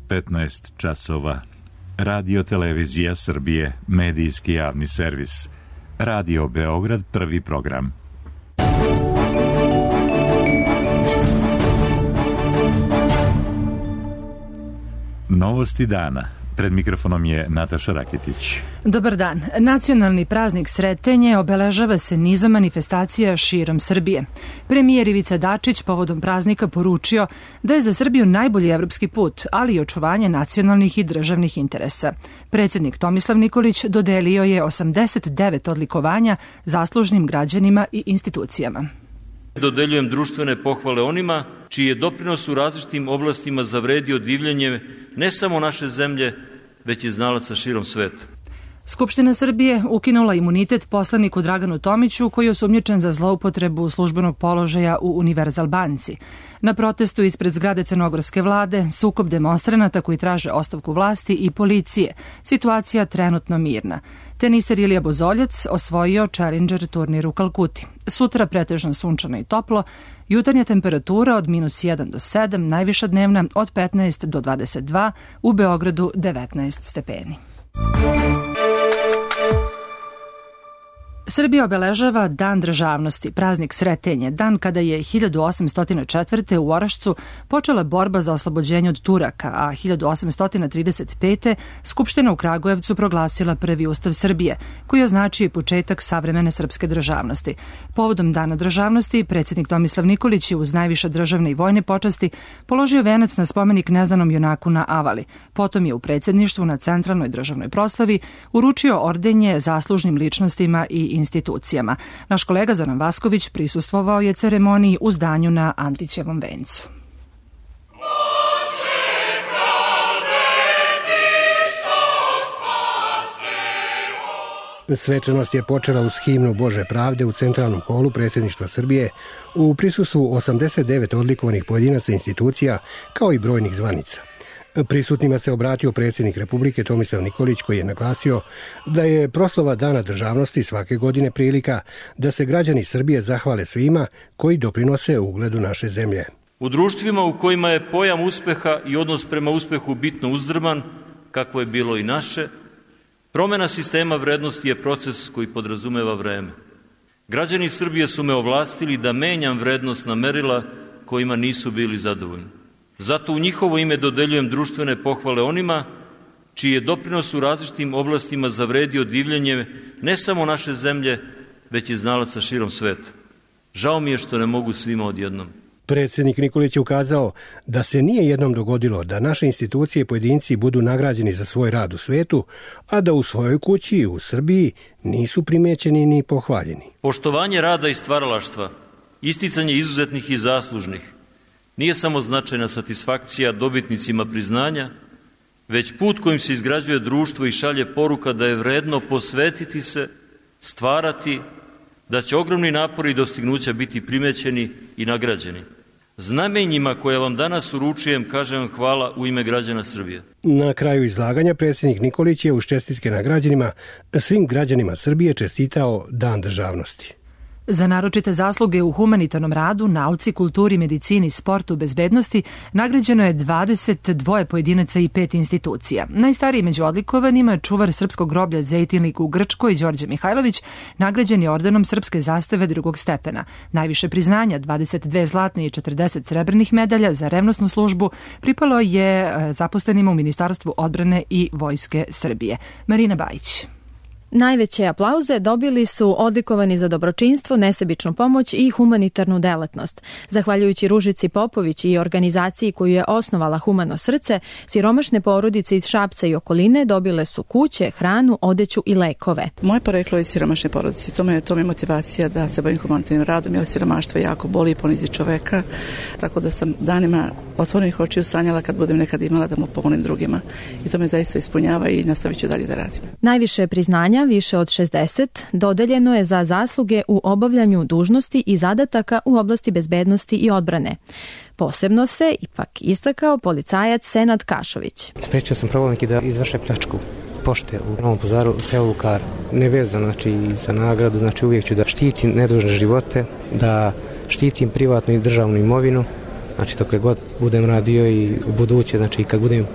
15 časova. Radio Televizija Srbije, medijski javni servis. Radio Beograd, prvi program. Novosti dana. Pred mikrofonom je Nataša Raketić. Dobar dan. Nacionalni praznik Sretenje obeležava se nizom manifestacija širom Srbije. Premijer Ivica Dačić povodom praznika poručio da je za Srbiju najbolji evropski put, ali i očuvanje nacionalnih i državnih interesa. Predsjednik Tomislav Nikolić dodelio je 89 odlikovanja zaslužnim građanima i institucijama. Dodeljujem društvene pohvale onima čiji je doprinos u različitim oblastima zavredio divljenje ne samo naše zemlje, već i znalaca širom sveta. Skupština Srbije ukinula imunitet poslaniku Draganu Tomiću, koji je osumnjičen za zloupotrebu službenog položaja u Univerzal banci. Na protestu ispred zgrade crnogorske vlade, sukob demonstranata koji traže ostavku vlasti i policije. Situacija trenutno mirna. Teniser Ilija Bozoljac osvojio Challenger turnir u Kalkuti. Sutra pretežno sunčano i toplo, jutarnja temperatura od -1 do 7, najviša dnevna od 15 do 22, u Beogradu 19 stepeni. Srbija obeležava Dan državnosti, praznik Sretenje, dan kada je 1804. u Orašcu počela borba za oslobođenje od Turaka, a 1835. Skupština u Kragujevcu proglasila prvi ustav Srbije, koji označuje početak savremene srpske državnosti. Povodom Dana državnosti, predsjednik Tomislav Nikolić je uz najviše državne i vojne počasti položio venac na spomenik neznanom junaku na Avali. Potom je u predsjedništvu na centralnoj državnoj proslavi uručio ordenje zaslužnim ličnostima i institucijama. Naš kolega Zoran Vasković prisustvovao je ceremoniji u zdanju na Andrićevom vencu. Svečanost je počela uz himnu Bože pravde u centralnom holu predsjedništva Srbije u prisustvu 89 odlikovanih pojedinaca institucija kao i brojnih zvanica. Prisutnima se obratio predsjednik Republike Tomislav Nikolić, koji je naglasio da je proslava Dana državnosti svake godine prilika da se građani Srbije zahvale svima koji doprinose ugledu naše zemlje. U društvima u kojima je pojam uspeha i odnos prema uspehu bitno uzdrman, kakvo je bilo i naše, promjena sistema vrednosti je proces koji podrazumeva vreme. Građani Srbije su me ovlastili da menjam vrednostna merila kojima nisu bili zadovoljni. Zato u njihovo ime dodeljujem društvene pohvale onima čiji je doprinos u različitim oblastima zavredio divljenje ne samo naše zemlje, već i znalaca širom sveta. Žao mi je što ne mogu svima odjednom. Predsjednik Nikolić je ukazao da se nije jednom dogodilo da naše institucije i pojedinci budu nagrađeni za svoj rad u svetu, a da u svojoj kući u Srbiji nisu primećeni ni pohvaljeni. Poštovanje rada i stvaralaštva, isticanje izuzetnih i zaslužnih, nije samo značajna satisfakcija dobitnicima priznanja, već put kojim se izgrađuje društvo i šalje poruka da je vredno posvetiti se, stvarati, da će ogromni napori i dostignuća biti primećeni i nagrađeni. Znamenjima koje vam danas uručujem, kažem vam hvala u ime građana Srbije. Na kraju izlaganja predsjednik Nikolić je uz čestitke nagrađenima svim građanima Srbije čestitao Dan državnosti. Za naročite zasluge u humanitarnom radu, nauci, kulturi, medicini, sportu, bezbednosti nagrađeno je 22 pojedinaca i 5 institucija. Najstariji među odlikovanima je čuvar srpskog groblja Zejtinlik u Grčkoj, Đorđe Mihajlović, nagrađen je ordenom srpske zastave drugog stepena. Najviše priznanja, 22 zlatne i 40 srebrnih medalja za revnosnu službu, pripalo je zaposlenima u Ministarstvu odbrane i Vojske Srbije. Marina Bajić. Najveće aplauze dobili su odlikovani za dobročinstvo, nesebičnu pomoć i humanitarnu delatnost. Zahvaljujući Ružici Popović i organizaciji koju je osnovala Humano srce, siromašne porodice iz Šapca i okoline dobile su kuće, hranu, odeću i lekove. Moje poreklo je iz siromašne porodice. To me je motivacija da se bavim humanitarnim radom, jer siromaštvo jako boli i ponizi čoveka. Tako da sam danima otvorenih očiju sanjala kad budem nekad imala da mu pomonim drugima. I to me zaista ispunjava i nastavit ću dalje da radim. Najviše priznanja, više od 60, dodeljeno je za zasluge u obavljanju dužnosti i zadataka u oblasti bezbednosti i odbrane. Posebno se ipak istakao policajac Senad Kašović. Sprečio sam provalnike da izvrše pljačku pošte u Novom Pazaru, u selu Lukar. Nevezano za nagradu, uvijek ću da štitim nedužne živote, da štitim privatnu i državnu imovinu Znači, dokle god budem radio i u buduće, znači kad budem,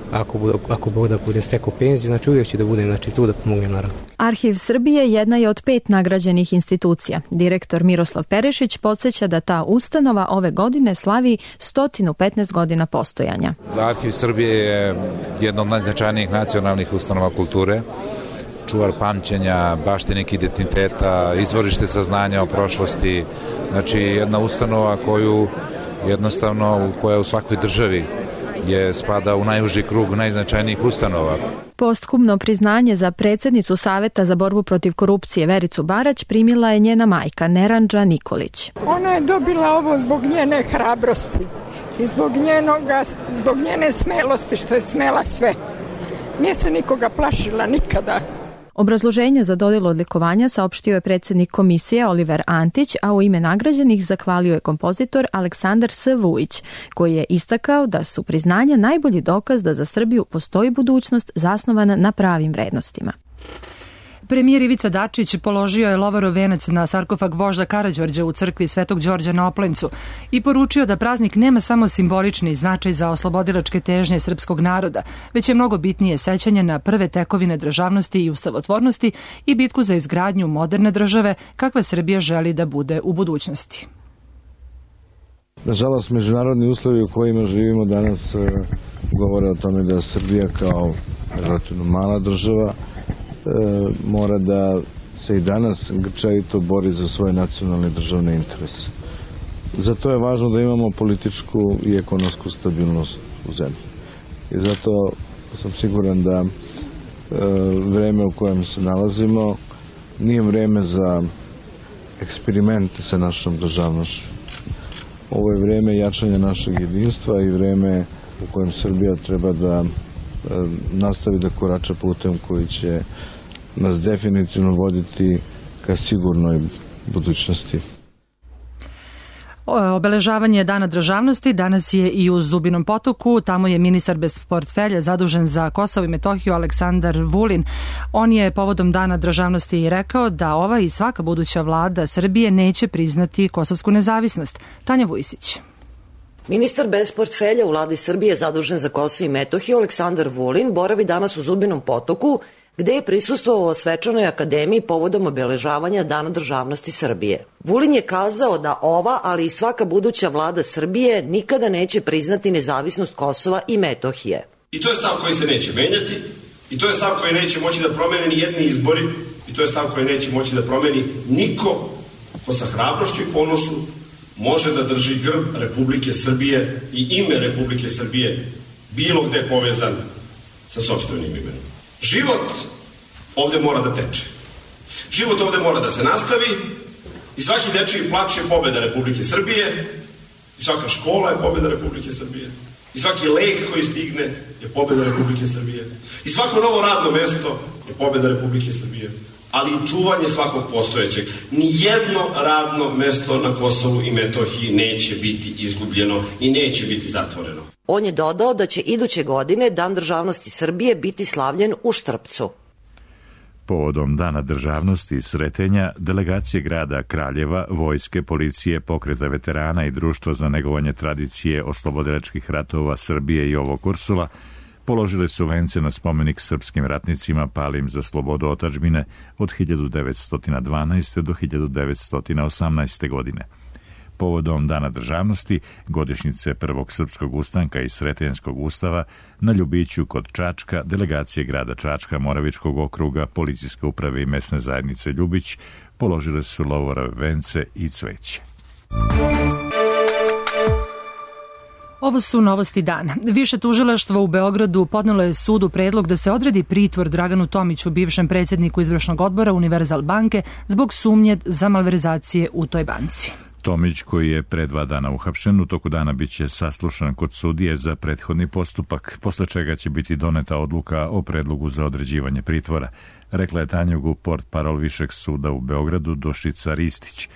ako Bog da budem stekao penziju, znači uvijek ću da budem tu da pomognem narodu. Arhiv Srbije jedna je od 5 nagrađenih institucija. Direktor Miroslav Perešić podsjeća da ta ustanova ove godine slavi 115 godina postojanja. Arhiv Srbije je jedna od najznačajnijih nacionalnih ustanova kulture, čuvar pamćenja, baštinik identiteta, izvorište saznanja o prošlosti, znači jedna ustanova koja u svakoj državi spada u najuži krug najznačajnijih ustanova. Posthumno priznanje za predsjednicu Saveta za borbu protiv korupcije Vericu Barać primila je njena majka Neranđa Nikolić. Ona je dobila ovo zbog njene hrabrosti i zbog njene smelosti, što je smela sve. Nije se nikoga plašila nikada. Obrazloženje za dodjelu odlikovanja saopštio je predsjednik komisije Oliver Antić, a u ime nagrađenih zahvalio je kompozitor Aleksandar S. Vujić, koji je istakao da su priznanja najbolji dokaz da za Srbiju postoji budućnost zasnovana na pravim vrednostima. Premijer Ivica Dačić položio je lovorov venac na sarkofag vožda Karađorđa u crkvi Svetog Đorđa na Oplencu i poručio da praznik nema samo simbolični značaj za oslobodilačke težnje srpskog naroda, već je mnogo bitnije sećanje na prve tekovine državnosti i ustavotvornosti i bitku za izgradnju moderne države kakva Srbija želi da bude u budućnosti. Nažalost, međunarodni uslovi u kojima živimo danas govore o tome da Srbija kao relativno mala država mora da se i danas grčevito bori za svoje nacionalne državne interese. Zato je važno da imamo političku i ekonomsku stabilnost u zemlji. I zato sam siguran da vreme u kojem se nalazimo nije vreme za eksperimente sa našom državnošću. Ovo je vreme jačanja našeg jedinstva i vreme u kojem Srbija treba da nastavi da korača putem koji će nas definitivno voditi ka sigurnoj budućnosti. Obeležavanje Dana državnosti danas je i u Zubinom Potoku. Tamo je ministar bez portfelja zadužen za Kosovo i Metohiju Aleksandar Vulin. On je povodom Dana državnosti i rekao da ova i svaka buduća vlada Srbije neće priznati kosovsku nezavisnost. Tanja Vujsić. Ministar bez portfelja u vladi Srbije zadužen za Kosovo i Metohiju Aleksandar Vulin boravi danas u Zubinom Potoku, gde je prisustvovao svečanoj akademiji povodom obeležavanja Dana državnosti Srbije. Vulin je kazao da ova, ali i svaka buduća vlada Srbije nikada neće priznati nezavisnost Kosova i Metohije. I to je stav koji se neće menjati, i to je stav koji neće moći da promene ni jedni izbori, i to je stav koji neće moći da promeni niko ko sa hrabrošću i ponosu može da drži grb Republike Srbije i ime Republike Srbije bilo gde povezan sa sopstvenim imenom. Život ovde mora da teče. Život ovde mora da se nastavi i svaki dečiji plač je pobeda Republike Srbije i svaka škola je pobeda Republike Srbije i svaki lek koji stigne je pobeda Republike Srbije i svako novo radno mesto je pobeda Republike Srbije, ali i čuvanje svakog postojećeg. Nijedno radno mesto na Kosovu i Metohiji neće biti izgubljeno i neće biti zatvoreno. On je dodao da će iduće godine Dan državnosti Srbije biti slavljen u Štrpcu. Povodom Dana državnosti i Sretenja, delegacije grada Kraljeva, vojske, policije, pokreta veterana i društva za negovanje tradicije oslobodilačkih ratova Srbije i ovog Korsova položile su vence na spomenik srpskim ratnicima palim za slobodu otadžbine od 1912. do 1918. godine. Povodom Dana državnosti, godišnjice Prvog srpskog ustanka i Sretenjskog ustava, na Ljubiću kod Čačka, delegacije grada Čačka, Moravičkog okruga, policijske uprave i mesne zajednice Ljubić položile su lovorove vence i cveće. Ovo su novosti dana. Više tužilaštva u Beogradu podnelo je sudu predlog da se odredi pritvor Draganu Tomiću, bivšem predsjedniku izvršnog odbora Univerzal banke, zbog sumnje za malverzacije u toj banci. Tomić, koji je pre 2 dana uhapšen, u toku dana biće saslušan kod sudije za prethodni postupak, posle čega će biti doneta odluka o predlogu za određivanje pritvora, rekla je Tanjugu portparol Višeg suda u Beogradu Dušica Ristić.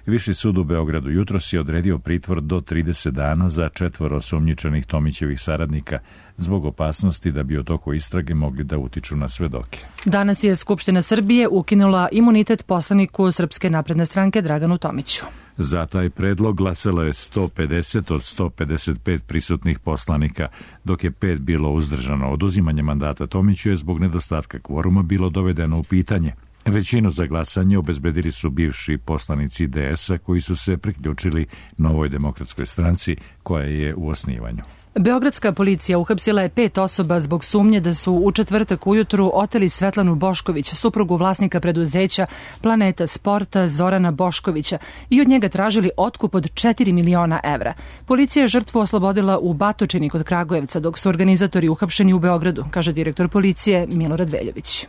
Viši sud u Beogradu jutros je odredio pritvor do 30 dana za 4 osumnjičenih Tomićevih saradnika zbog opasnosti da bi u toku istrage mogli da utiču na svedoke. Danas je Skupština Srbije ukinula imunitet poslaniku Srpske napredne stranke Draganu Tomiću. Za taj predlog glasalo je 150 od 155 prisutnih poslanika, dok je 5 bilo uzdržano. Oduzimanje mandata Tomiću je zbog nedostatka kvoruma bilo dovedeno u pitanje. Većinu za glasanje obezbedili su bivši poslanici DS-a koji su se priključili Novoj demokratskoj stranci koja je u osnivanju. Beogradska policija uhapsila je 5 osoba zbog sumnje da su u četvrtak ujutru oteli Svetlanu Bošković, suprugu vlasnika preduzeća Planeta Sporta Zorana Boškovića, i od njega tražili otkup od 4 miliona evra. Policija je žrtvu oslobodila u Batočini kod Kragujevca, dok su organizatori uhapšeni u Beogradu, kaže direktor policije Milorad Veljović.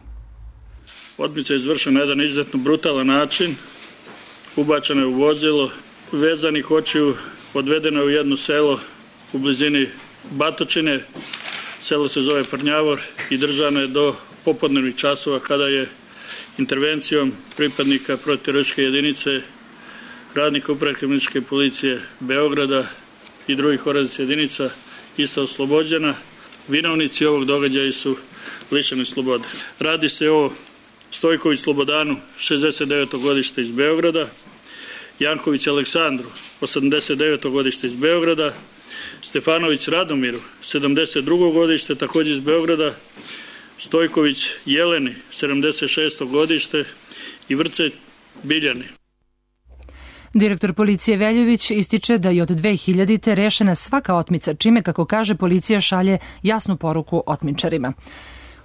Otmica je izvršena na jedan izuzetno brutalan način, ubačena je u vozilo, vezanih očiju odvedeno je u jedno selo u blizini Batočine, selo se zove Prnjavor, i držana je do popodnevnih časova kada je intervencijom pripadnika protivterorističke jedinice, radnika Uprave kriminalističke policije Beograda i drugih organizacijskih jedinica ista oslobođena. Vinovnici ovog događaja su lišeni slobode. Radi se o Stojković Slobodanu, 69. godište iz Beograda, Janković Aleksandru, 89. godište iz Beograda, Stefanović Radomiru, 72. godište, također iz Beograda, Stojković Jeleni, 76. godište i Vrce Biljani. Direktor policije Veljović ističe da je od 2000. rešena svaka otmica, čime, kako kaže, policija šalje jasnu poruku otmičarima.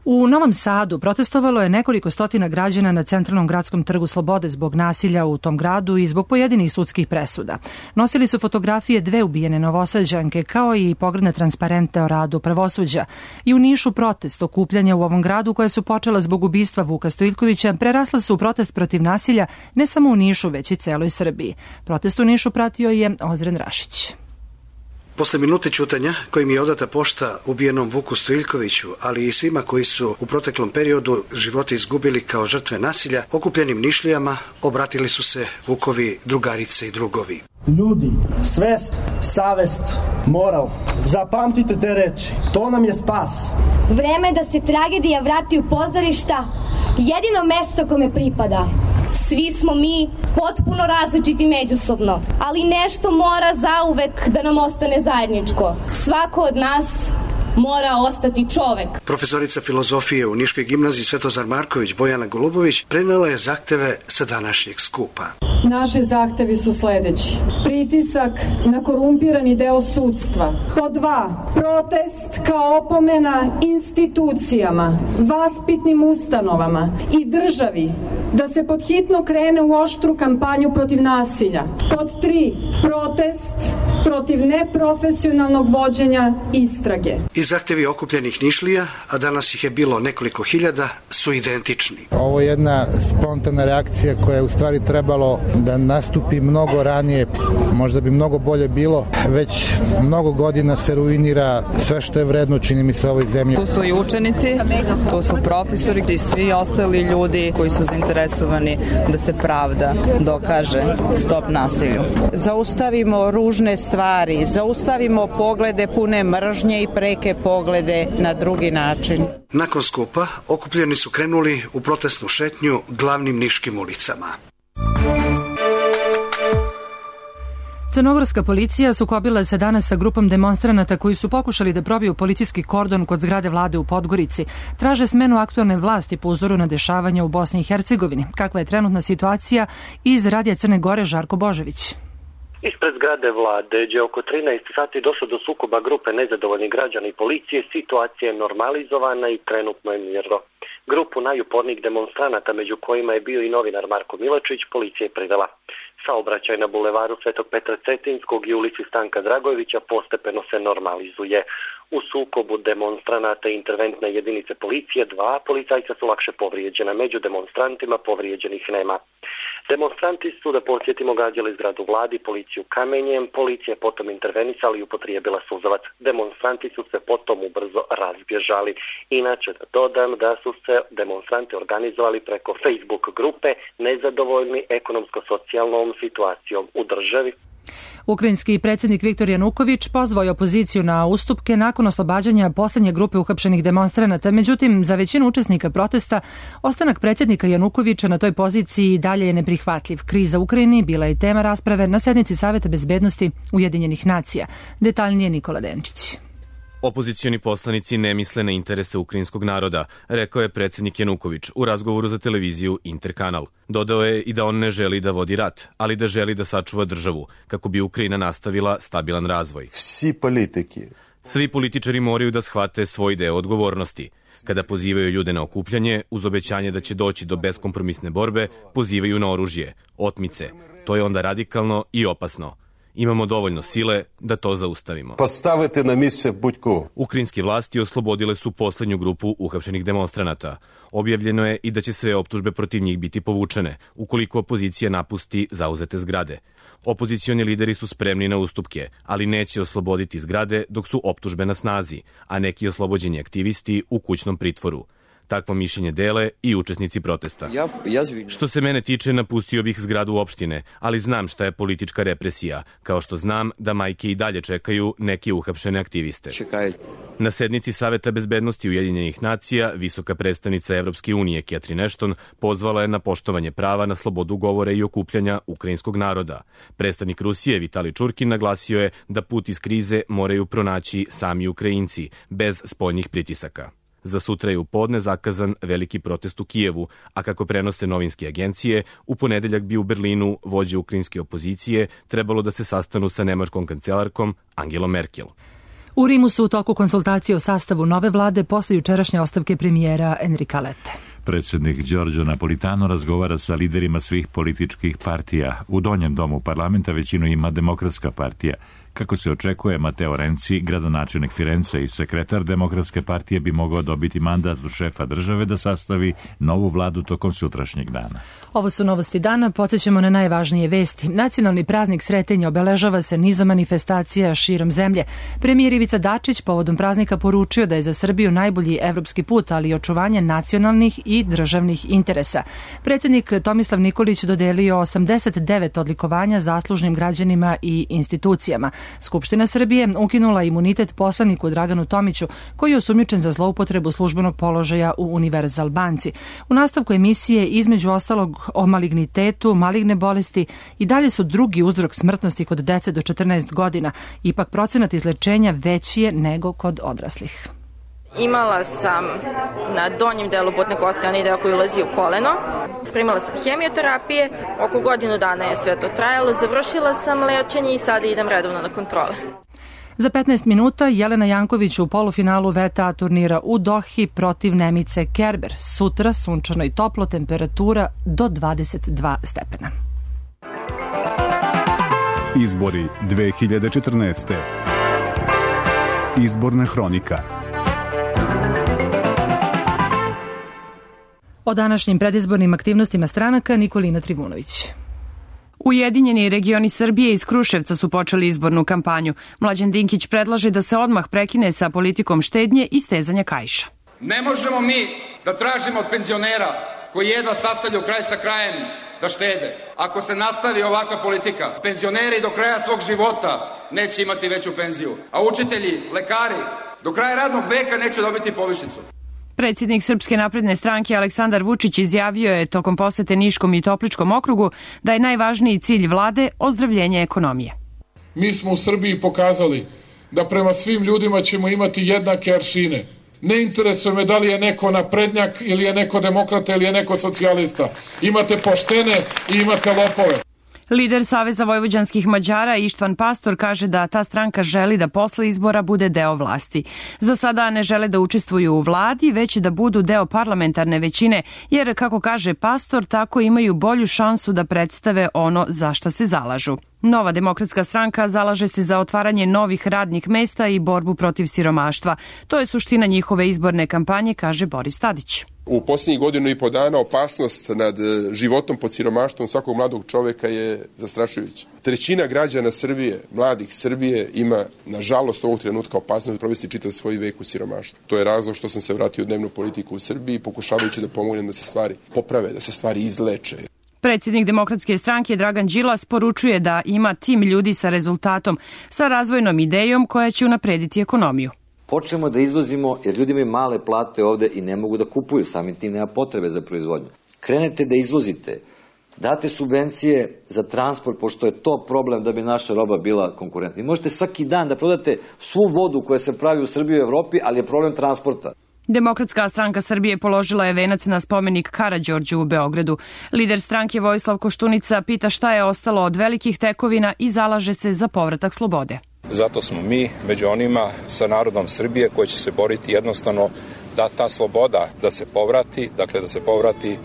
U Novom Sadu protestovalo je nekoliko stotina građana na centralnom gradskom trgu Slobode zbog nasilja u tom gradu i zbog pojedinih sudskih presuda. Nosili su fotografije 2 ubijene Novosađanke, kao i pogrdne transparente o radu pravosuđa. I u Nišu protest okupljanja u ovom gradu, koje su počela zbog ubistva Vuka Stojiljkovića, prerasla su u protest protiv nasilja ne samo u Nišu, već i celoj Srbiji. Protest u Nišu pratio je Ozren Rašić. Posle minute ćutanja kojim je odata pošta ubijenom Vuku Stojiljkoviću, ali i svima koji su u proteklom periodu živote izgubili kao žrtve nasilja, okupljenim Nišlijama obratili su se Vukovi drugarice i drugovi. Ljudi, svest, savest, moral, zapamtite te reči, to nam je spas. Vreme je da se tragedija vrati u pozorišta, jedino mesto kome pripada. Svi smo mi potpuno različiti međusobno, ali nešto mora zauvek da nam ostane zajedničko. Svako od nas mora ostati čovek. Profesorica filozofije u Niškoj gimnaziji Svetozar Marković Bojana Golubović prenela je zahteve sa današnjeg skupa. Naši zahtevi su sledeći. Pritisak na korumpirani deo sudstva. Pod 2. Protest kao opomena institucijama, vaspitnim ustanovama i državi da se podhitno krene u oštru kampanju protiv nasilja. Pod 3. Protest protiv neprofesionalnog vođenja istrage. I zahtevi okupljenih Nišlija, a danas ih je bilo nekoliko hiljada, su identični. Ovo je jedna spontana reakcija koja je u stvari trebalo da nastupi mnogo ranije, možda bi mnogo bolje bilo. Već mnogo godina se ruinira sve što je vredno, čini mi se, ovoj zemlji. Tu su i učenici, tu su profesori i svi ostali ljudi koji su zainteresovani da se pravda dokaže, stop nasilju. Zaustavimo ružne stvari, zaustavimo poglede pune mržnje i preke poglede na drugi način. Nakon skupa okupljeni su krenuli u protestnu šetnju glavnim niškim ulicama. Crnogorska policija sukobila se danas sa grupom demonstranata koji su pokušali da probiju policijski kordon kod zgrade vlade u Podgorici. Traže smenu aktualne vlasti po uzoru na dešavanja u Bosni i Hercegovini. Kakva je trenutna situacija? Iz Radija Crne Gore Žarko Božović. Ispred zgrade vlade, gdje oko 13 sati došlo do sukoba grupe nezadovoljnih građana i policije, situacija je normalizovana i trenutno je mirno. Grupu najupornijih demonstranata, među kojima je bio i novinar Marko Milačić, policija je privela. Saobraćaj na bulevaru Svetog Petra Cetinskog i ulici Stanka Dragojevića postepeno se normalizuje. U sukobu demonstranata i interventne jedinice policije 2 policajca su lakše povrijeđena. Među demonstrantima povrijeđenih nema. Demonstranti su, da podsjetimo, gađali zgradu vladi, policiju kamenjem, policija je potom intervenisala i upotrijebila suzavac. Demonstranti su se potom ubrzo razbježali. Inače da dodam da su se demonstranti organizovali preko Facebook grupe nezadovoljni ekonomsko-socijalnom situacijom u državi. Ukrajinski predsjednik Viktor Januković pozvao je opoziciju na ustupke nakon oslobađanja poslednje grupe uhapšenih demonstranata. Međutim, za većinu učesnika protesta ostanak predsjednika Janukovića na toj poziciji dalje je neprihvatljiv. Kriza u Ukrajini bila je tema rasprave na sednici Saveta bezbednosti Ujedinjenih nacija. Detaljnije Nikola Denčić. Opozicioni poslanici ne misle na interese ukrajinskog naroda, rekao je predsjednik Januković u razgovoru za televiziju Interkanal. Dodao je i da on ne želi da vodi rat, ali da želi da sačuva državu, kako bi Ukrajina nastavila stabilan razvoj. Svi političari moraju da shvate svoj deo odgovornosti. Kada pozivaju ljude na okupljanje, uz obećanje da će doći do beskompromisne borbe, pozivaju na oružje, otmice. To je onda radikalno i opasno. Imamo dovoljno sile da to zaustavimo. Postavite na mjesto Buďko. Ukrajinske vlasti oslobodile su poslednju grupu uhapšenih demonstranata. Objavljeno je i da će sve optužbe protiv njih biti povučene, ukoliko opozicija napusti zauzete zgrade. Opozicioni lideri su spremni na ustupke, ali neće osloboditi zgrade dok su optužbe na snazi, a neki oslobođeni aktivisti u kućnom pritvoru. Takvo mišljenje dele i učesnici protesta. Što se mene tiče, napustio bih zgradu opštine, ali znam šta je politička represija, kao što znam da majke i dalje čekaju neke uhapšene aktiviste. Na sednici Saveta bezbednosti Ujedinjenih nacija, visoka predstavnica Evropske unije Catherine Ashton pozvala je na poštovanje prava na slobodu govora i okupljanja ukrajinskog naroda. Predstavnik Rusije Vitali Čurkin naglasio je da put iz krize moraju pronaći sami Ukrajinci, bez spoljnih pritisaka. Za sutra je u podne zakazan veliki protest u Kijevu, a kako prenose novinske agencije, u ponedeljak bi u Berlinu vođe ukrajinske opozicije trebalo da se sastanu sa nemačkom kancelarkom Angelom Merkel. U Rimu su u toku konsultacije o sastavu nove vlade posle jučerašnje ostavke premijera Enrika Lette. Predsjednik Giorgio Napolitano razgovara sa liderima svih političkih partija. U donjem domu parlamenta većinu ima Demokratska partija. Kako se očekuje, Matteo Renzi, gradonačelnik Firence i sekretar Demokratske partije, bi mogao dobiti mandat od šefa države da sastavi novu vladu tokom sutrašnjeg dana. Ovo su novosti dana, podsjećamo na najvažnije vesti. Nacionalni praznik Sretenja obeležava se nizom manifestacija širom zemlje. Premijer Ivica Dačić povodom praznika poručio da je za Srbiju najbolji evropski put, ali i očuvanje nacionalnih i državnih interesa. Predsjednik Tomislav Nikolić dodelio 89 odlikovanja zaslužnim građanima i institucijama. Skupština Srbije ukinula imunitet poslaniku Draganu Tomiću, koji je osumnjičen za zloupotrebu službenog položaja u Univerzal banci. U nastavku emisije, između ostalog o malignitetu, maligne bolesti, i dalje su drugi uzrok smrtnosti kod dece do 14 godina. Ipak procenat izlečenja veći je nego kod odraslih. Imala sam na donjem delu butne koske onaj deo koji ulazi u koleno. Primala sam hemioterapije, oko godinu dana je sve to trajalo, završila sam lečenje i sada idem redovno na kontrole. Za 15 minuta Jelena Janković u polufinalu VTA turnira u Dohi protiv Nemice Kerber. Sutra sunčano i toplo, temperatura do 22 stepena. Izbori 2014. Izborna hronika. O današnjim predizbornim aktivnostima stranaka Nikolina Trivunović. Ujedinjeni regioni Srbije iz Kruševca su počeli izbornu kampanju. Mlađan Dinkić predlaže da se odmah prekine sa politikom štednje i stezanja kaiša. Ne možemo mi da tražimo od penzionera koji jedva sastavljaju kraj sa krajem da štede. Ako se nastavi ovakva politika, penzioneri do kraja svog života neće imati veću penziju, a učitelji, lekari do kraja radnog veka neće dobiti povišicu. Predsjednik Srpske napredne stranke Aleksandar Vučić izjavio je tokom posete Niškom i Topličkom okrugu da je najvažniji cilj vlade ozdravljenje ekonomije. Mi smo u Srbiji pokazali da prema svim ljudima ćemo imati jednake aršine. Ne interesuje me da li je neko naprednjak ili je neko demokrata ili je neko socijalista. Imate poštene i imate lopove. Lider Saveza vojvođanskih Mađara Ištvan Pastor kaže da ta stranka želi da posle izbora bude deo vlasti. Za sada ne žele da učestvuju u vladi, već da budu deo parlamentarne većine, jer, kako kaže Pastor, tako imaju bolju šansu da predstave ono za šta se zalažu. Nova demokratska stranka zalaže se za otvaranje novih radnih mesta i borbu protiv siromaštva. To je suština njihove izborne kampanje, kaže Boris Tadić. U posljednjih godinu i po dana opasnost nad životom pod siromaštvom svakog mladog čoveka je zastrašujuća. Trećina građana Srbije, mladih Srbije, ima, nažalost, ovog trenutka opasnost da provesti čitav svoj vek u siromaštvu. To je razlog što sam se vratio u dnevnu politiku u Srbiji, pokušavajući da pomognem da se stvari poprave, da se stvari izleče. Predsjednik Demokratske stranke Dragan Đilas poručuje da ima tim ljudi sa rezultatom, sa razvojnom idejom koja će unaprediti ekonomiju. Počnemo da izvozimo jer ljudi imaju male plate ovde i ne mogu da kupuju, samim tim nema potrebe za proizvodnju. Krenete da izvozite, date subvencije za transport, pošto je to problem da bi naša roba bila konkurentna. I možete svaki dan da prodate svu vodu koja se pravi u Srbiji i u Evropi, ali je problem transporta. Demokratska stranka Srbije položila je venac na spomenik Karađorđu u Beogradu. Lider stranke Vojislav Koštunica pita šta je ostalo od velikih tekovina i zalaže se za povratak slobode. Zato smo mi među onima sa narodom Srbije koji će se boriti jednostavno da ta sloboda da se povrati, dakle da se povrati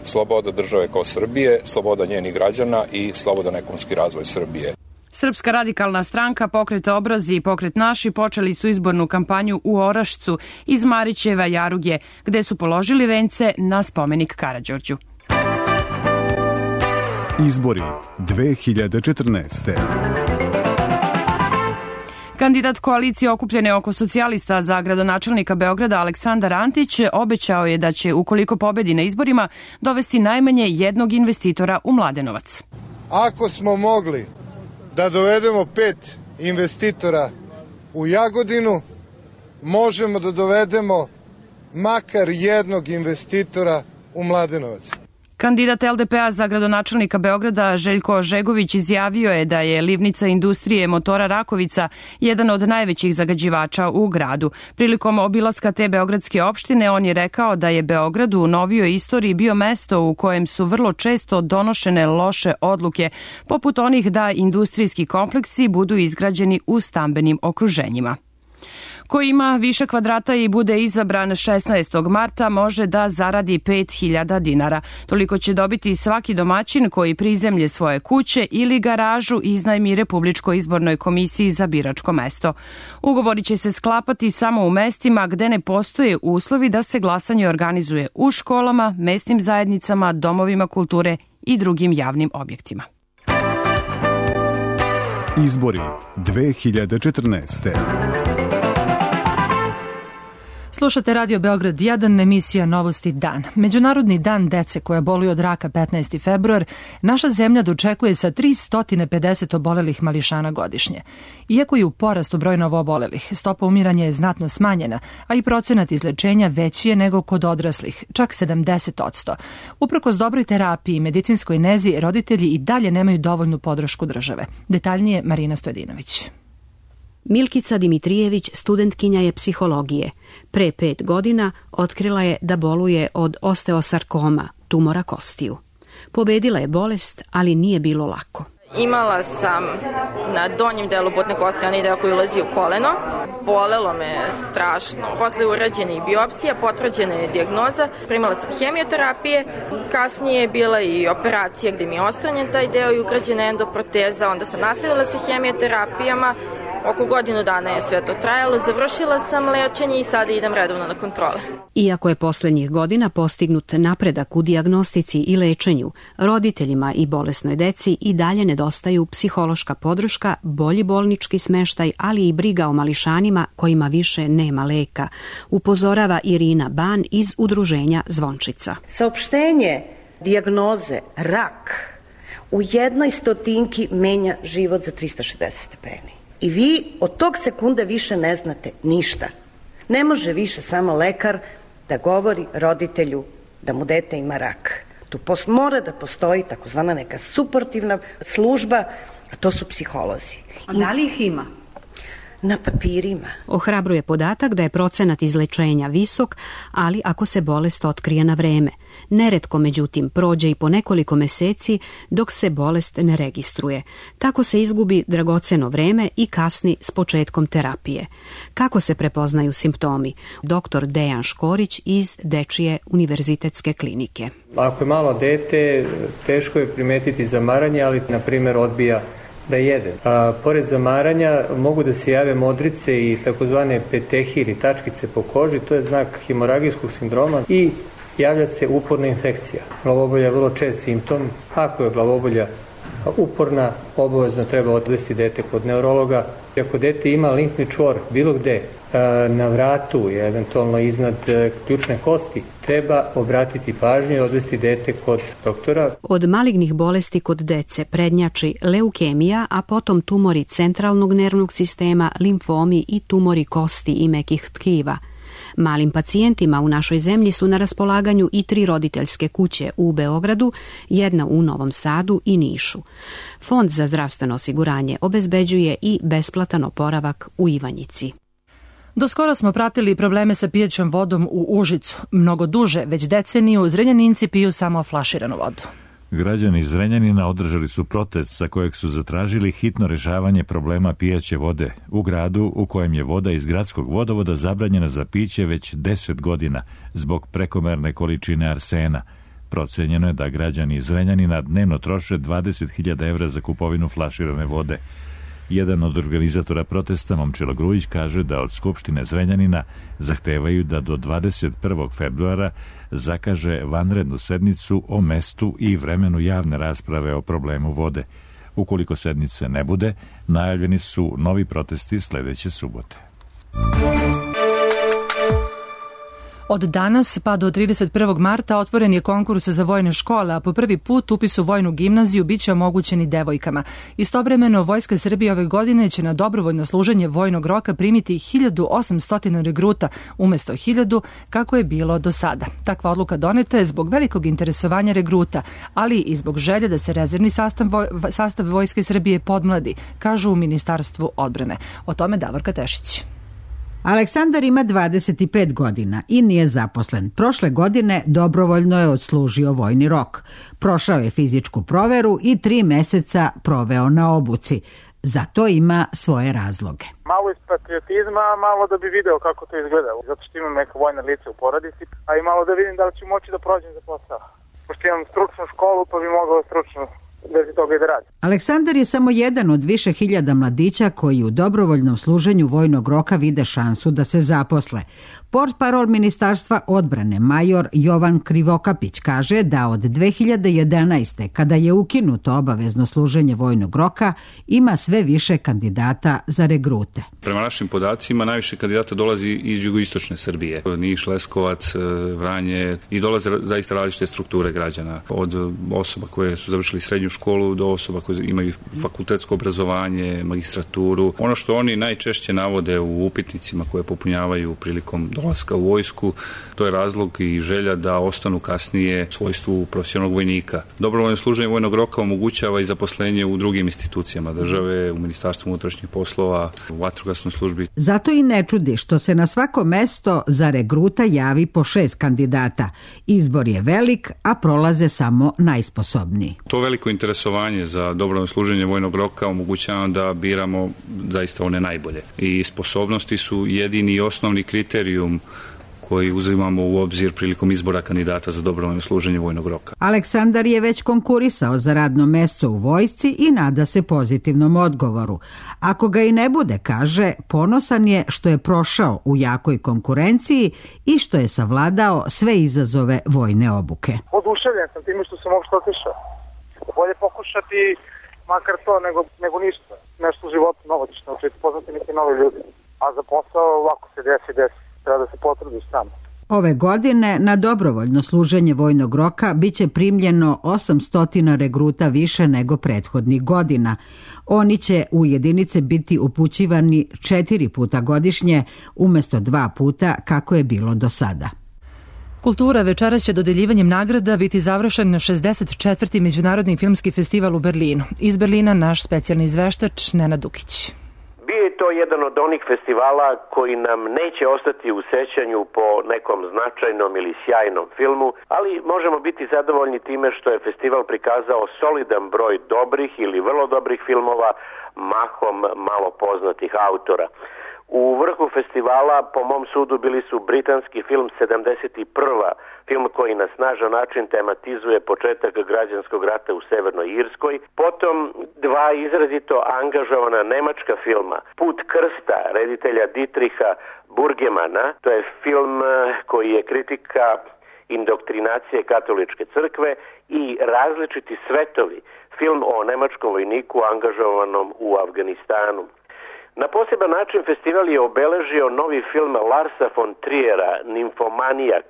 sloboda države kao Srbije, sloboda njenih građana i slobodan ekonomski razvoj Srbije. Srpska radikalna stranka, Pokret Obrazi i Pokret Naši počeli su izbornu kampanju u Orašcu iz Marićeva Jaruge, gde su položili vence na spomenik Karađorđu. Izbori 2014. Kandidat koalicije okupljene oko socijalista za gradonačelnika Beograda Aleksandar Antić obećao je da će, ukoliko pobedi na izborima, dovesti najmanje jednog investitora u Mladenovac. Ako smo mogli da dovedemo 5 investitora u Jagodinu, možemo da dovedemo makar jednog investitora u Mladenovac. Kandidat LDP-a za gradonačelnika Beograda Željko Žegović izjavio je da je livnica industrije motora Rakovica jedan od najvećih zagađivača u gradu. Prilikom obilaska te beogradske opštine on je rekao da je Beograd u novijoj istoriji bio mesto u kojem su vrlo često donošene loše odluke, poput onih da industrijski kompleksi budu izgrađeni u stambenim okruženjima. Ko ima više kvadrata i bude izabran 16. marta može da zaradi 5.000 dinara. Toliko će dobiti svaki domaćin koji prizemlje svoje kuće ili garažu iznajmi Republičkoj izbornoj komisiji za biračko mesto. Ugovori će se sklapati samo u mestima gde ne postoje uslovi da se glasanje organizuje u školama, mesnim zajednicama, domovima kulture i drugim javnim objektima. Izbori 2014. Slušate Radio Beograd 1, emisija Novosti dan. Međunarodni dan dece koja boluju od raka 15. februar naša zemlja dočekuje sa 350 obolelih mališana godišnje. Iako je u porastu broj novoobolelih, stopa umiranja je znatno smanjena, a i procenat izlečenja veći je nego kod odraslih, čak 70%. Uprkos dobroj terapiji i medicinskoj nezi, roditelji i dalje nemaju dovoljnu podršku države. Detaljnije Marina Stojedinović. Milkica Dimitrijević studentkinja je psihologije. Pre 5 godina otkrila je da boluje od osteosarkoma, tumora kostiju. Pobedila je bolest, ali nije bilo lako. Imala sam na donjem delu butne kosti onaj deo koji ulazi u koleno. Bolelo me strašno. Posle urađene i biopsija, potvrđena je dijagnoza. Primala sam hemioterapije. Kasnije je bila i operacija gde mi je ostranjen taj deo i ugrađena endoproteza. Onda sam nastavila sa hemioterapijama. Oko godinu dana je sve to trajalo, završila sam lečenje i sada idem redovno na kontrole. Iako je poslednjih godina postignut napredak u dijagnostici i lečenju, roditeljima i bolesnoj deci i dalje nedostaju psihološka podrška, bolji bolnički smeštaj, ali i briga o mališanima kojima više nema leka, upozorava Irina Ban iz udruženja Zvončica. Saopštenje dijagnoze rak u 1/100 menja život za 360 stepeni. I vi od tog sekunda više ne znate ništa. Ne može više samo lekar da govori roditelju da mu dete ima rak. Tu mora da postoji takozvana neka suportivna služba, a to su psiholozi. A da li ih ima? Na papirima. Ohrabruje podatak da je procenat izlečenja visok, ali ako se bolest otkrije na vreme. Neretko, međutim, prođe i po nekoliko meseci dok se bolest ne registruje. Tako se izgubi dragoceno vreme i kasni s početkom terapije. Kako se prepoznaju simptomi? Dr. Dejan Škorić iz Dečije univerzitetske klinike. Ako je malo dete, teško je primetiti zamaranje, ali, na primjer, odbija da jede. Pored zamaranja mogu da se jave modrice i takozvane petehi ili tačkice po koži, to je znak hemoragijskog sindroma i javlja se uporna infekcija. Glavobolja je vrlo čest simptom. Ako je glavobolja uporna, obavezno treba odvesti dete kod neurologa. Ako dete ima limfni čvor bilo gde, na vratu, eventualno iznad ključne kosti, treba obratiti pažnju i odvesti dete kod doktora. Od malignih bolesti kod dece prednjači leukemija, a potom tumori centralnog nervnog sistema, limfomi i tumori kosti i mekih tkiva. Malim pacijentima u našoj zemlji su na raspolaganju i 3 roditeljske kuće u Beogradu, jedna u Novom Sadu i Nišu. Fond za zdravstveno osiguranje obezbeđuje i besplatan oporavak u Ivanjici. Doskoro smo pratili probleme sa pijećom vodom u Užicu. Mnogo duže, već deceniju, Zrenjaninci piju samo flaširanu vodu. Građani iz Zrenjanina održali su protest sa kojeg su zatražili hitno rešavanje problema pijaće vode u gradu u kojem je voda iz gradskog vodovoda zabranjena za piće već 10 godina zbog prekomerne količine arsena. Procenjeno je da građani iz Zrenjanina dnevno troše 20.000 evra za kupovinu flaširane vode. Jedan od organizatora protesta, Momčilo Grujić, kaže da od Skupštine Zrenjanina zahtevaju da do 21. februara zakaže vanrednu sednicu o mestu i vremenu javne rasprave o problemu vode. Ukoliko sednice ne bude, najavljeni su novi protesti sledeće subote. Od danas pa do 31. marta otvoren je konkurs za vojne škole, a po prvi put upis u vojnu gimnaziju biće omogućen i devojkama. Istovremeno, Vojska Srbije ove godine će na dobrovoljno služenje vojnog roka primiti 1800 regruta umesto 1000, kako je bilo do sada. Takva odluka doneta je zbog velikog interesovanja regruta, ali i zbog želje da se rezervni sastav Vojske Srbije podmladi, kažu u Ministarstvu odbrane. O tome Davorka Tešić. Aleksandar ima 25 godina i nije zaposlen. Prošle godine dobrovoljno je odslužio vojni rok. Prošao je fizičku proveru i 3 meseca proveo na obuci. Za to ima svoje razloge. Malo iz patriotizma, malo da bi video kako to izgleda. Zato što imam neka vojna lica u porodici, a i malo da vidim da li ću moći da prođem za posao. Pošto imam stručnu školu, pa bi mogao stručno da toga i da radi. Aleksandar je samo jedan od više hiljada mladića koji u dobrovoljnom služenju vojnog roka vide šansu da se zaposle. Portparol Ministarstva odbrane major Jovan Krivokapić kaže da od 2011. kada je ukinuto obavezno služenje vojnog roka, ima sve više kandidata za regrute. Prema našim podacima najviše kandidata dolazi iz jugoistočne Srbije. Niš, Leskovac, Vranje i dolaze zaista različite strukture građana. Od osoba koje su završili srednju školu do osoba koje imaju fakultetsko obrazovanje, magistraturu. Ono što oni najčešće navode u upitnicima koje popunjavaju prilikom dolaska u vojsku, to je razlog i želja da ostanu kasnije u svojstvu profesionalnog vojnika. Dobrovoljno služenje vojnog roka omogućava i zaposlenje u drugim institucijama države, u Ministarstvu unutrašnjih poslova, u vatrogasnoj službi. Zato i ne čudi što se na svako mesto za regruta javi po 6 kandidata. Izbor je velik, a prolaze samo najsposobniji. To veliko interesovanje za dobrovoljno služenje vojnog roka omogućava da biramo zaista one najbolje. I sposobnosti su jedini i osnovni kriterijum koji uzimamo u obzir prilikom izbora kandidata za dobrovoljno služenje vojnog roka. Aleksandar je već konkurisao za radno mesto u vojsci i nada se pozitivnom odgovoru. Ako ga i ne bude, kaže, ponosan je što je prošao u jakoj konkurenciji i što je savladao sve izazove vojne obuke. Oduševljen sam time što sam uopšte otišao. Bolje pokušati makar to nego ništa. Nešto u životu novo ćeš naučiti, poznati neki novi ljudi. A za posao ovako se desi. Treba da se potrudiš sam. Ove godine na dobrovoljno služenje vojnog roka biće primljeno 800 regruta više nego prethodnih godina. Oni će u jedinice biti upućivani 4 puta godišnje umesto 2 puta kako je bilo do sada. Kultura večeras će dodeljivanjem nagrada biti završen 64. Međunarodni filmski festival u Berlinu. Iz Berlina naš specijalni izveštač Nenad Dukić. Bio je to jedan od onih festivala koji nam neće ostati u sećanju po nekom značajnom ili sjajnom filmu, ali možemo biti zadovoljni time što je festival prikazao solidan broj dobrih ili vrlo dobrih filmova, mahom malo poznatih autora. U vrhu festivala, po mom sudu, bili su britanski film 71. film koji na snažan način tematizuje početak građanskog rata u Severnoj Irskoj. Potom 2 izrazito angažovana nemačka filma. Put krsta reditelja Dietricha Burgemana. To je film koji je kritika indoktrinacije katoličke crkve i Različiti svetovi, film o nemačkom vojniku angažovanom u Afganistanu. Na poseban način festival je obeležio novi film Larsa von Triera, Nimfomanijak,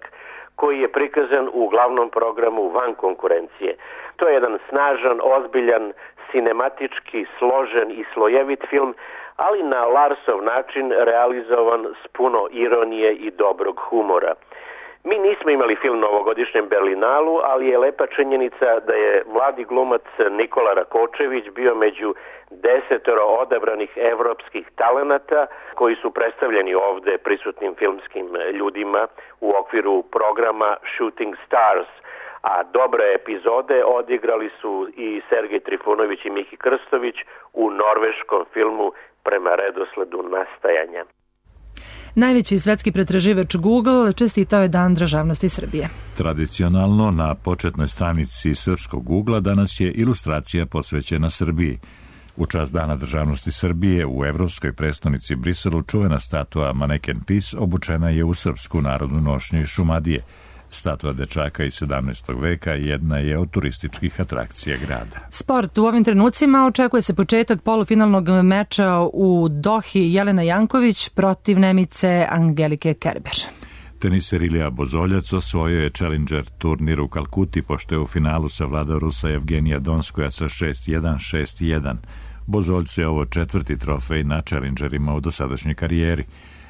koji je prikazan u glavnom programu Van konkurencije. To je jedan snažan, ozbiljan, sinematički, složen i slojevit film, ali na Larsov način realizovan s puno ironije i dobrog humora. Mi nismo imali film na ovogodišnjem Berlinalu, ali je lepa činjenica da je mladi glumac Nikola Rakočević bio među 10 odabranih evropskih talenata koji su predstavljeni ovde prisutnim filmskim ljudima u okviru programa Shooting Stars, a dobre epizode odigrali su i Sergej Trifunović i Miki Krstović u norveškom filmu Prema redosledu nastajanja. Najveći svetski pretraživač Google čestitao je Dan državnosti Srbije. Tradicionalno na početnoj stranici srpskog Googlea danas je ilustracija posvećena Srbiji. U čast Dana državnosti Srbije u evropskoj prestonici Briselu čuvena statua Mannequin Peace obučena je u srpsku narodnu nošnju iz Šumadije. Statua dečaka iz 17. veka jedna je od turističkih atrakcija grada. Sport. U ovim trenucima očekuje se početak polufinalnog meča u Dohi Jelena Janković protiv Nemice Angelike Kerber. Teniser Ilija Bozoljac osvojio je Challenger turnir u Kalkuti pošto je u finalu savladao Rusa Evgenija Donskoja sa 6-1, 6-1. Bozoljcu je ovo 4. trofej na Challengerima u dosadašnjoj karijeri.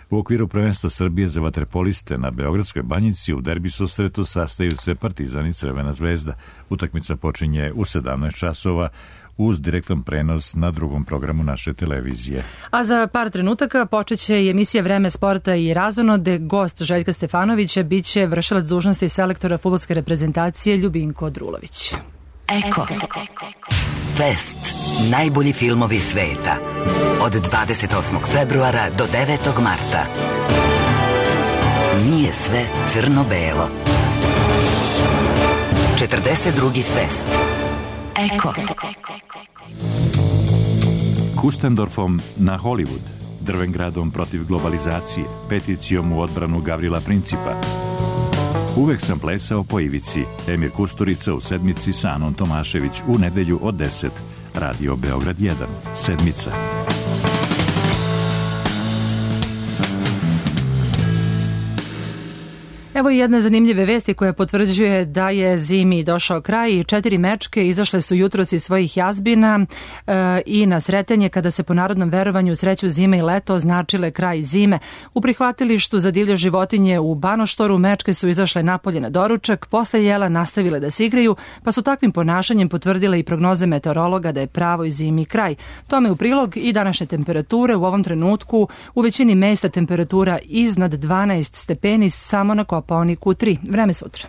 U okviru prvenstva Srbije za vaterpoliste na Beogradskoj banjici u derbi susretu sastaju se Partizan i Crvena zvezda. Utakmica počinje u 17 časova uz direktan prenos na drugom programu naše televizije. A za par trenutaka počeće i emisija Vreme sporta i razonode. Gost Željka Stefanovića biće vršilac dužnosti selektora fudbalske reprezentacije Ljubinko Drulović. Eko. Fest. Najbolji filmovi sveta. Od 28. februara do 9. marta. Nije sve crno-belo. 42. fest. Eko. Kustendorfom na Hollywood, Drvengradom protiv globalizacije, peticijom u odbranu Gavrila Principa. Uvek sam plesao po ivici. Emir Kusturica u sedmici sa Anom Tomašević u nedelju od 10. Radio Beograd 1. Sedmica. Evo i jedne zanimljive vesti koja potvrđuje da je zimi došao kraj. 4 mečke izašle su jutros iz svojih jazbina i na Sretenje kada se po narodnom verovanju sreću zime i leto označile kraj zime. U prihvatilištu za divlje životinje u Banoštoru mečke su izašle napolje na doručak, posle jela nastavile da se igraju, pa su takvim ponašanjem potvrdile i prognoze meteorologa da je pravoj zimi kraj. Tome u prilog i današnje temperature. U ovom trenutku u većini mesta temperatura iznad 12 stepeni, samo na Kopaoniku 3. Vreme sutra.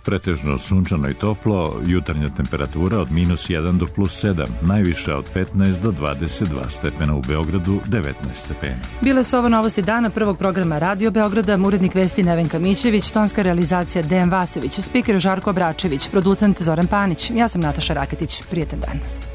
Pretežno sunčano i toplo, jutarnja temperatura od -1 do +7, najviša od 15 do 22 stepena u Beogradu, 19 stepeni. Bile su ovo novosti dana prvog programa Radio Beograda, urednik vesti Nevenka Mićević, tonska realizacija Dejan Vasović, spiker Žarko Bračević, producent Zoran Panić. Ja sam Nataša Raketić. Prijetan dan.